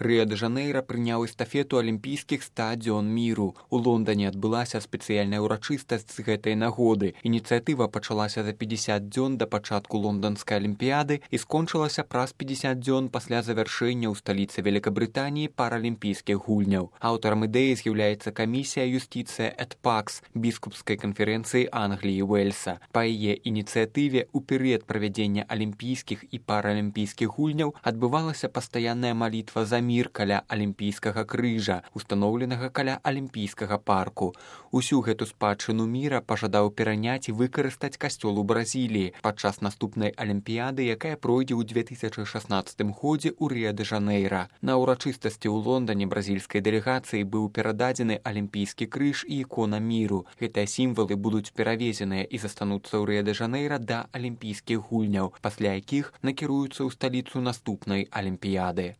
Рыа-дэ-Жанэйра прыняў эстафету алімпійскіх 100 дзён міру. У Лондане адбылася спецыяльная ўрачыстасць з гэтай нагоды. Ініцыятыва пачалася за 50 дзён да пачатку лонданскай алімпіяды і скончылася праз 50 дзён пасля завяршэння ў сталіцы Великабрытаніі паралімпійскіх гульняў. Аўтарам ідэі з'яўляецца камісія юстыцыя эт пакс біскупскай канферэнцыі Англіі і Уэльса. Па яе ініцыятыве ў перыяд правядзення алімпійскіх і паралімпійскіх гульняў адбывалася пастаянная малітва за мір каля алімпійскага крыжа, устаноўленага каля алімпійскага парку. Усю гэту спадчыну міра пажадаў пераняць і выкарыстаць касцёл у Бразіліі падчас наступнай алімпіяды, якая пройдзе ў 2016 годзе ў Рыа-дэ-Жанэйра. На ўрачыстасці ў Лондане бразільскай дэлегацыі быў перададзены алімпійскі крыж і ікона міру. Гэтыя сімвалы будуць перавезеныя і застануцца ў Рыа-дэ-Жанэйра да алімпійскіх гульняў, пасля якіх накіруюцца ў сталіцу наступнай алімпіяды.